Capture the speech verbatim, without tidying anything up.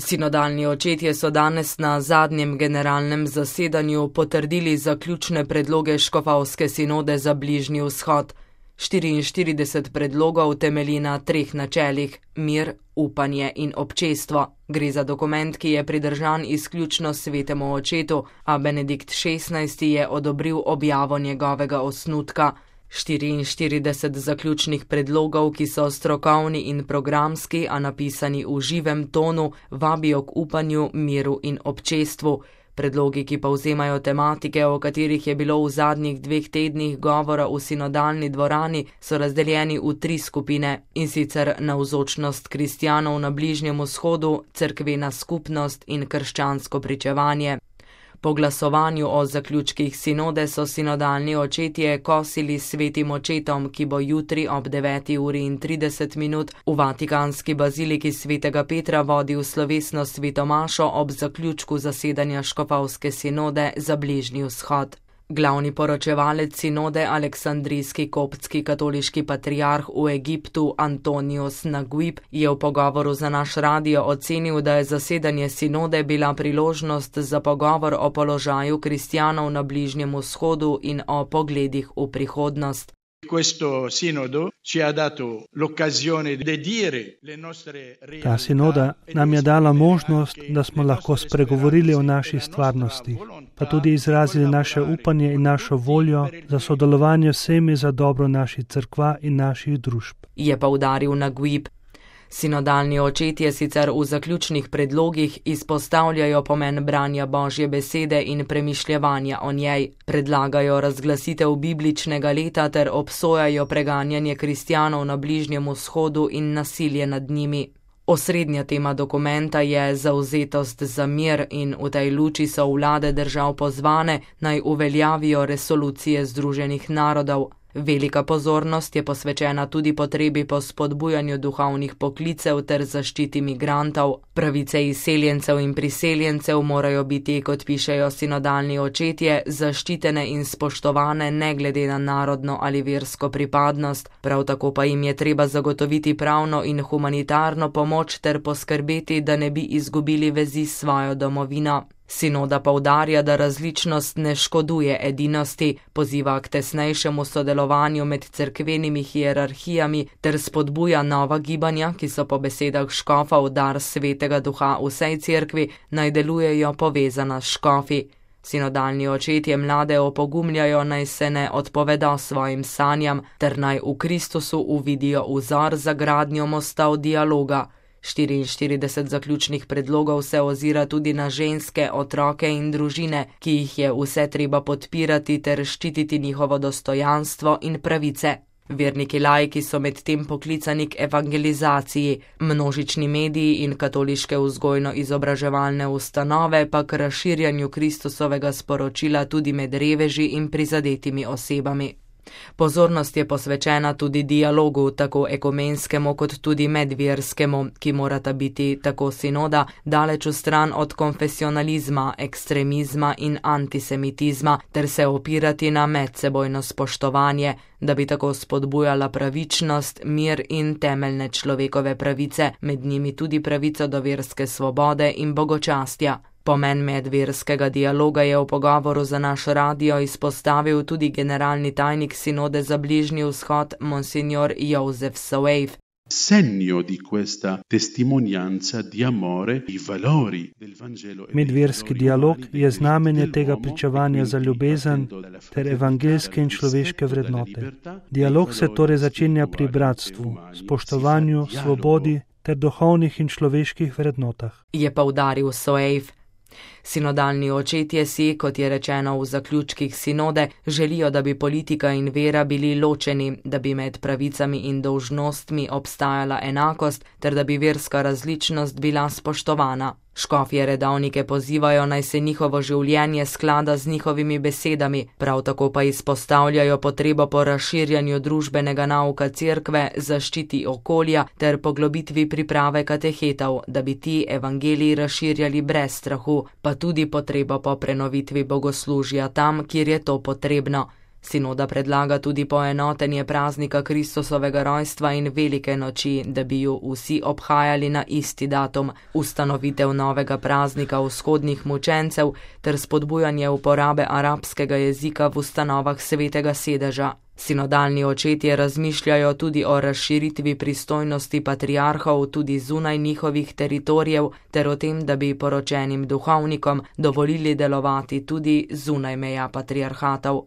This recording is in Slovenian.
Sinodalni očetje so danes na zadnjem generalnem zasedanju potrdili zaključne predloge škofovske sinode za Bližnji vzhod. štiriinštirideset predlogov temelji na treh načelih: mir, upanje in občestvo. Gre za dokument, ki je pridržan izključno svetemu očetu, a Benedikt šestnajsti je odobril objavo njegovega osnutka. štiriinštirideset zaključnih predlogov, ki so strokovni in programski, a napisani v živem tonu, vabijo k upanju, miru in občestvu. Predlogi, ki povzemajo tematike, o katerih je bilo v zadnjih dveh tednih govora v sinodalni dvorani, so razdeljeni v tri skupine, in sicer navzočnost kristjanov na Bližnjem vzhodu, cerkvena skupnost in krščansko pričevanje. Po glasovanju o zaključkih sinode so sinodalni očetje kosili s svetim očetom, ki bo jutri ob deveti uri in trideset minut v vatikanski baziliki svetega Petra vodil slovesno sveto mašo ob zaključku zasedanja škofovske sinode za Bližnji vzhod. Glavni poročevalec sinode, aleksandrijski koptski katoliški patriarh v Egiptu Antonius Naguib, je v pogovoru za naš radio ocenil, da je zasedanje sinode bila priložnost za pogovor o položaju kristjanov na Bližnjem vzhodu in o pogledih v prihodnost. Ta sinoda nam je dala možnost, da smo lahko spregovorili o naši stvarnosti, pa tudi izrazili naše upanje in našo voljo za sodelovanje vsemi za dobro naših cerkva in naših družb. Je poudaril Naguib. Sinodalni očetje sicer v zaključnih predlogih izpostavljajo pomen branja Božje besede in premišljevanja o njej, predlagajo razglasitev bibličnega leta ter obsojajo preganjanje kristjanov na Bližnjem vzhodu in nasilje nad njimi. Osrednja tema dokumenta je zavzetost za mir in v tej luči so vlade držav pozvane, naj uveljavijo resolucije Združenih narodov. Velika pozornost je posvečena tudi potrebi po spodbujanju duhovnih poklicev ter zaščiti migrantov. Pravice izseljencev in priseljencev morajo biti, kot pišejo sinodalni očetje, zaščitene in spoštovane ne glede na narodno ali versko pripadnost, prav tako pa jim je treba zagotoviti pravno in humanitarno pomoč ter poskrbeti, da ne bi izgubili vezi s svojo domovino. Sinoda poudarja, da različnost ne škoduje edinosti, poziva k tesnejšemu sodelovanju med cerkvenimi hierarhijami ter spodbuja nova gibanja, ki so po besedah škofov dar svetega duha vsej cerkvi, naj delujejo povezana s škofi. Sinodalni očetje mlade opogumljajo, naj se ne odpovedo svojim sanjam ter naj v Kristusu uvidijo vzor za gradnjo mostov dialoga. štiriinštirideset zaključnih predlogov se ozira tudi na ženske, otroke in družine, ki jih je vse treba podpirati ter ščititi njihovo dostojanstvo in pravice. Verniki laiki so medtem poklicani k evangelizaciji, množični mediji in katoliške vzgojno-izobraževalne ustanove pa k razširjanju Kristusovega sporočila tudi med reveži in prizadetimi osebami. Pozornost je posvečena tudi dialogu, tako ekumenskemu kot tudi medverskemu, ki morata biti, tako sinoda, daleč vstran od konfesionalizma, ekstremizma in antisemitizma, ter se opirati na medsebojno spoštovanje, da bi tako spodbujala pravičnost, mir in temeljne človekove pravice, med njimi tudi pravico do verske svobode in bogočastja. Pomen medverskega dialoga je v pogovoru za naš radio izpostavil tudi generalni tajnik sinode za Bližnji vzhod, monsignor Josef Soeif. Segno di questa testimonianza di amore i valori del Vangelo. Medverski dialog je znamenje tega pričevanja za ljubezen ter evangeljske in človeške vrednote. Dialog se torej začenja pri bratstvu, spoštovanju, svobodi ter duhovnih in človeških vrednotah. Je poudaril Soeif. Sinodalni očetje si, kot je rečeno v zaključkih sinode, želijo, da bi politika in vera bili ločeni, da bi med pravicami in dolžnostmi obstajala enakost ter da bi verska različnost bila spoštovana. Škofje redovnike pozivajo, naj se njihovo življenje sklada z njihovimi besedami, prav tako pa izpostavljajo potrebo po razširjanju družbenega nauka cerkve, zaščiti okolja ter poglobitvi priprave katehetov, da bi ti evangeliji razširjali brez strahu, pa tudi potrebo po prenovitvi bogoslužja tam, kjer je to potrebno. Sinoda predlaga tudi poenotenje praznika Kristusovega rojstva in velike noči, da bi ju vsi obhajali na isti datum, ustanovitev novega praznika vzhodnih mučencev ter spodbujanje uporabe arabskega jezika v ustanovah svetega sedeža. Sinodalni očetje razmišljajo tudi o razširitvi pristojnosti patriarhov tudi zunaj njihovih teritorijev ter o tem, da bi poročenim duhovnikom dovolili delovati tudi zunaj meja patriarhatov.